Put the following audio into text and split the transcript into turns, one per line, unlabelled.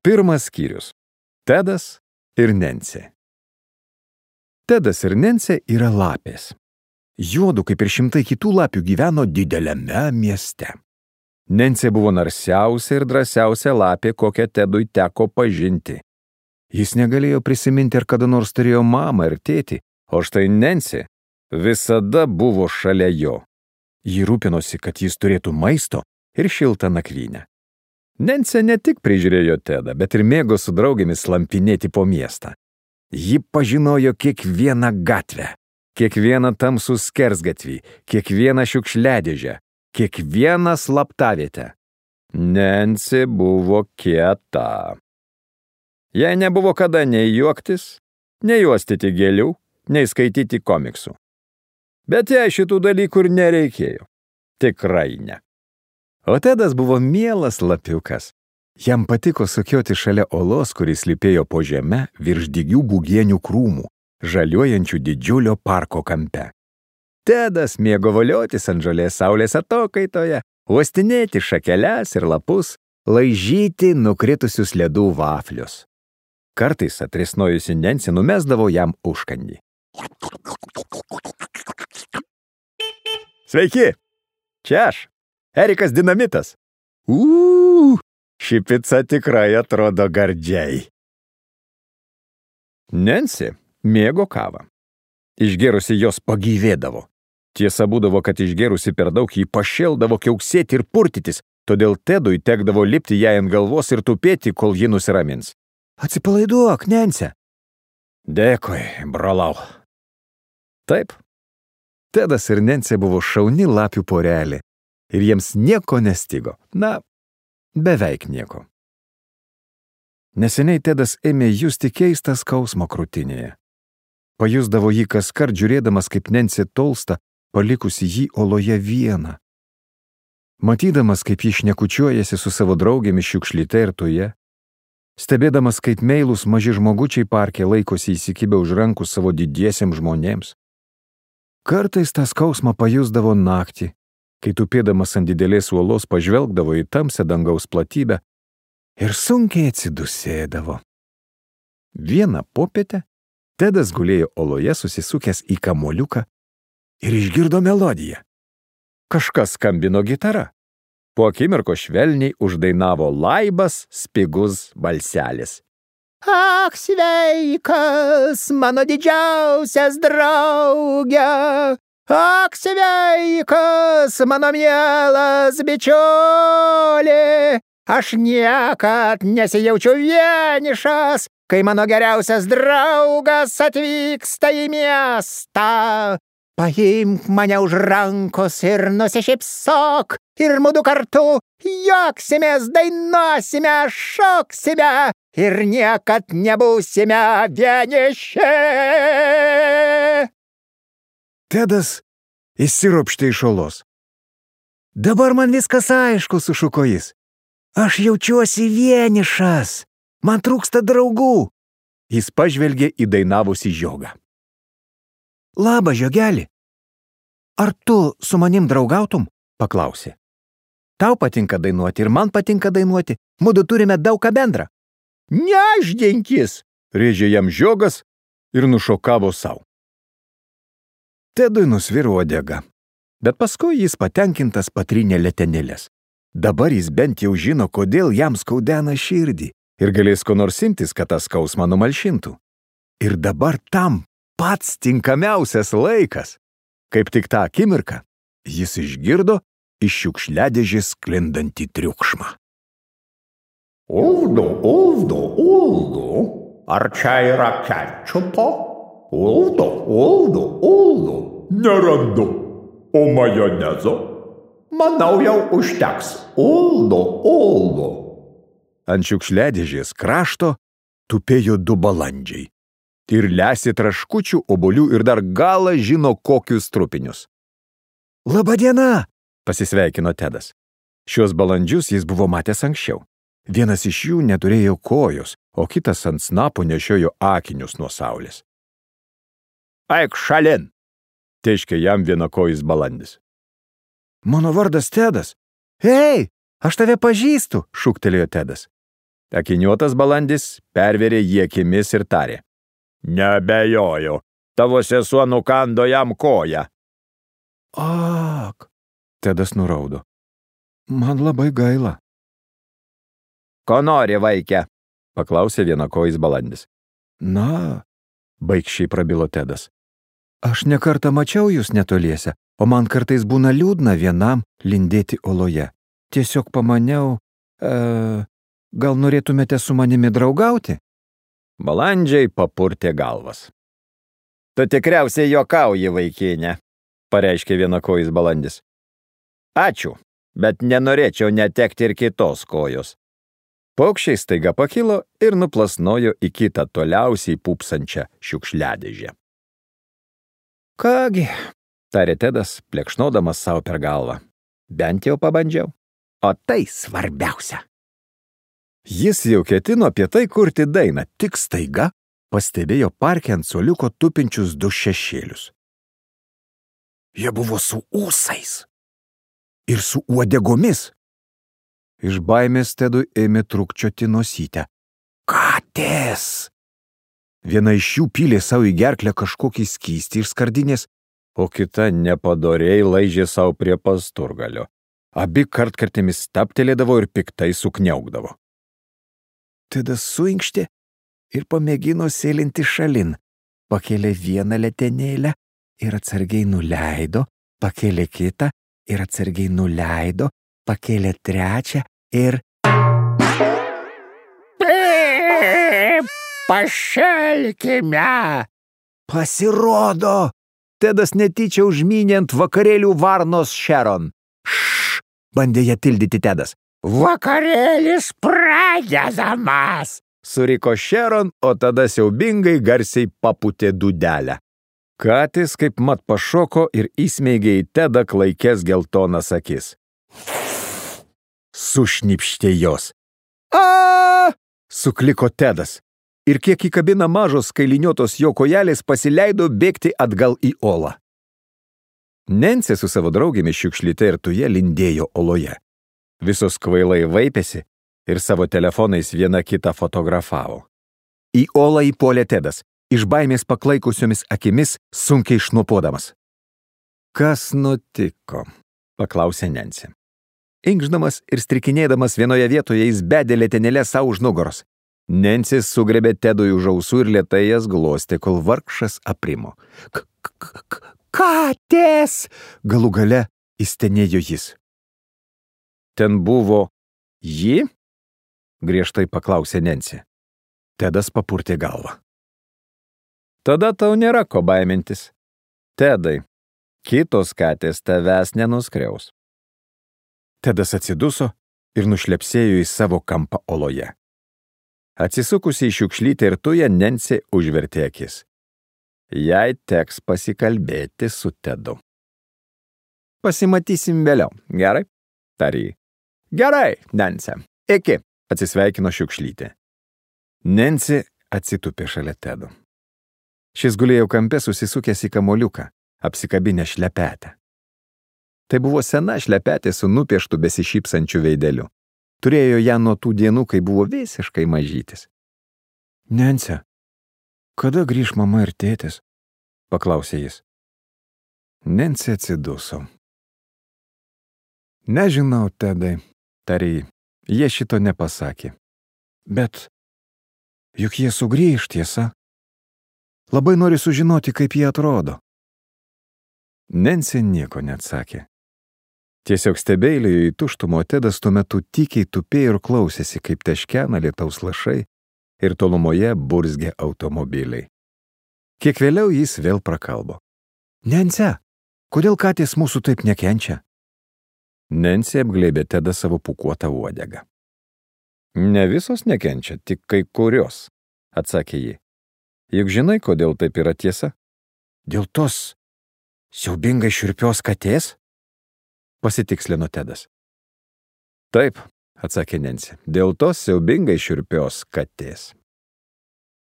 Pirmas skyrius. Tedas ir Nensė. Tedas ir Nensė yra lapės. Juodu, kaip ir šimtai kitų lapių, gyveno dideliame mieste. Nensė buvo narsiausia ir drąsiausia lapė, kokią Tedui teko pažinti. Jis negalėjo prisiminti, ar kada nors turėjo mamą ir tėtį, o štai Nensė visada buvo šalia jo. Ji rūpinosi, kad jis turėtų maisto ir šiltą nakvynę. Nensė ne tik prižiūrėjo Tedą, bet ir mėgo su draugėmis slampinėti po miestą. Ji pažinojo kiekvieną gatvę, kiekvieną tamsų skersgatvį, kiekvieną šiukšliadėžę, kiekvieną slaptavietę. Nensė buvo kieta. Jai nebuvo kada nei juoktis, nei uostyti gėlių, nei skaityti komiksų. Bet jai šitų dalykų ir nereikėjo. Tikrai ne. O Tedas buvo mielas lapiukas. Jam patiko sukioti šalia olos, kuris slypėjo po žeme virš dygių bugienių krūmų, žaliuojančių didžiulio parko kampe. Tedas mėgo voliotis ant žolės saulės atokaitoje, uostinėti šakeles ir lapus, laižyti nukritusius ledų vaflius. Kartais atrisnojusi Nensė numesdavo jam užkandį. Sveiki! Čia aš, Erikas Dinamitas. Ši pica tikrai atrodo gardžiai. Nensė mėgo kavą. Išgėrusi jos pagyvėdavo. Tiesa būdavo, kad išgėrusi per daug jį pašėldavo kiauksėti ir purtytis, todėl Tedui tekdavo lipti jai ant galvos ir tupėti, kol ji nusiramins. Atsipalaiduok, Nensė. Dėkui, brolau. Taip. Tedas ir Nensė buvo šauni lapių porelė. Ir jiems nieko nestigo. Na, beveik nieko. Neseniai Tedas ėmė justi keistą skausmą krūtinėje. Pajusdavo jį kaskart žiūrėdamas, kaip Nensė tolsta, palikusi jį oloje vieną. Matydamas, kaip jį šnekučiuojasi su savo draugėmis šiukšlyte ir tuje, stebėdamas, kaip meilūs maži žmogučiai parke laikosi įsikibę už rankų savo didiesiems žmonėms. Kartais tą skausmą pajusdavo naktį, kai tupėdamas ant didelės uolos pažvelgdavo į tamsią dangaus platybę ir sunkiai atsidusėdavo. Vieną popietę Tedas gulėjo oloje susisukęs į kamuoliuką ir išgirdo melodiją. Kažkas skambino gitara. Po akimirko švelniai uždainavo laibas, spigus balselis. Ak, sveikas, mano didžiausias drauge! Ak, sveikas, mano mielas bičiuli! Aš niekad nesijaučiu vienišas, kai mano geriausias draugas atvyksta į miestą. Paimk mane už rankos ir nusišypsok, ir mudu kartu juoksimės, dainuosime, šoksime ir niekad nebūsime vieniši. Tedas įsiropštė iš olos. Dabar man viskas aišku, sušuko jis. Aš jaučiuosi vienišas. Man trūksta draugų. Jis pažvelgė į dainavusį žiogą. Labą, žiogelį. Ar tu su manim draugautum? Paklausė. Tau patinka dainuoti ir man patinka dainuoti. Mudu turime daug ką bendrą. Neždinkis, rėžė jam žiogas ir nušokavo savo. Tedui nusviro uodega, bet paskui jis patenkintas patrynė letenėlės. Dabar jis bent jau žino, kodėl jam skaudena širdį ir galės ko nors imtis, kad tą skausmą numalšintų. Ir dabar tam pats tinkamiausias laikas. Kaip tik tą akimirką jis išgirdo iš šiukšliadėžės sklindantį triukšmą.
Uldu, uldu, uldu, ar čia yra kečupo? Uldu, uldu, uldu, nerandu. O majonezo? Manau, jau užteks. Uldu, uldu.
Ant šiukšliadėžės krašto tupėjo 2 balandžiai. Ir lesė traškučių, obuolių ir dar galą žino kokius trupinius. Labadiena, pasisveikino Tedas. Šios balandžius jis buvo matęs anksčiau. Vienas iš jų neturėjo kojos, o kitas ant snapo nešiojo akinius nuo saulės.
Eik šalin.
Teiškė jam vienakojis balandis.
Mano vardas Tedas. Ei, aš tave pažįstu, šūktelėjo Tedas.
Akiniuotas balandis pervėrė jį akimis ir tarė.
Nebejoju, tavo sesuo nukando jam koją.
Ak, Tedas nuraudo. Man labai gaila.
Ko nori, vaikė? Paklausė vienakojis balandis.
Na,
baikščiai prabilo Tedas.
Aš nekartą mačiau jūs netoliese, o man kartais būna liūdna vienam lindėti oloje. Tiesiog pamaniau, gal norėtumėte su manimi draugauti?
Balandžiai papurtė galvas. Tu tikriausiai juokauji, vaikinė, pareiškė vienakojis balandis. Ačiū, bet nenorėčiau netekti ir kitos kojos. Paukščiai staiga pakilo ir nuplasnojo į kitą toliausiai pūpsančią šiukšliadėžę.
Kągi,
tarė Tedas, plekšnodamas savo per galvą. Bent jau pabandžiau.
O tai svarbiausia.
Jis jau ketino apie tai kurti dainą, tik staiga pastebėjo parke ant suoliuko tupinčius du šešėlius.
Jie buvo su ūsais ir su uodegomis. Iš baimės Tedui ėmė trūkčioti nosytę. Katės! Viena iš jų pylė savo į gerklę kažkokį skystį iš skardinės,
o kita nepadoriai laižė savo prie pasturgalio. Abi kartkartėmis staptelėdavo ir piktai sukniaukdavo.
Tedas suinkštė ir pamėgino sėlinti šalin. Pakėlė vieną letenėlę ir atsargiai nuleido, pakėlė kitą ir atsargiai nuleido, pakėlė trečią ir...
Pašelkime!
Pasirodo! Tedas netyčia užmynė ant vakarėlių varnos Sharon. Bandė ją tildyti Tedas.
Vakarėlis pradedamas!
Suriko Sharon, o tada siaubingai garsiai papūtė dūdelę. Katės kaip mat pašoko ir įsmeigė į Tedą klaikės geltonas akis. Sušnipštė jos. A! Sukliko Tedas. Ir kiek įkabina mažos kailiniuotos jo kojelės pasileido bėgti atgal į olą. Nensė su savo draugėmis šiukšlyte ir tuje lindėjo oloje. Visos kvailai vaipėsi ir savo telefonais viena kitą fotografavo. Į olą įpuolė Tedas, iš baimės paklaikusiomis akimis sunkiai šnuopuodamas. Kas nutiko? Paklausė Nensė. Inkšdamas ir strikinėdamas vienoje vietoje jis bedė letenėlę savo už nugaros. Nensė sugrebė Tedui už ausų ir lėtai jas glostė, kol vargšas aprimo. Katės! Galų gale įstenėjo jis. Ten buvo ji? Griežtai paklausė Nensė. Tedas papurtė galvą. Tada tau nėra ko baimintis. Tedai, kitos katės tavęs nenuskriaus. Tedas atsiduso ir nušlepsėjo į savo kampą oloje. Atsisukusi į šiukšlytę ir tują, Nensė užvertė akis. Jai teks pasikalbėti su Tedu. Pasimatysim vėliau, gerai? Tarė. Gerai, Nensė. Iki, atsisveikino šiukšlytė. Nensė atsitupė šalia Tedo. Šis gulėjo kampe susisukęs į kamoliuką, apsikabinę šlepetę. Tai buvo sena šlepetė su nupieštu besišypsančiu veideliu. Turėjo ją nuo tų dienų, kai buvo visiškai mažytis. Nensė, kada grįš mama ir tėtis? Paklausė jis. Nensė atsiduso. Nežinau, Tedai, tarė, jie šito nepasakė. Bet juk jie sugrįš, tiesa? Labai nori sužinoti, kaip jie atrodo. Nensė nieko neatsakė. Tiesiog stebėlėjo į tuštumą, o Tedas tuo metu tykiai tupėjo ir klausėsi, kaip teškena lietaus lašai ir tolumoje burzgė automobiliai. Kiek vėliau jis vėl prakalbo. Nensė, kodėl katės mūsų taip nekenčia? Nensė apglėbė Tedą savo pūkuotą uodegą. Ne visos nekenčia, tik kai kurios, atsakė ji. Juk žinai, kodėl taip yra tiesa? Dėl tos siaubingai šiurpios katės? Pasitikslino Tedas. Taip, atsakė Nensė, dėl tos siaubingai šiurpios katės.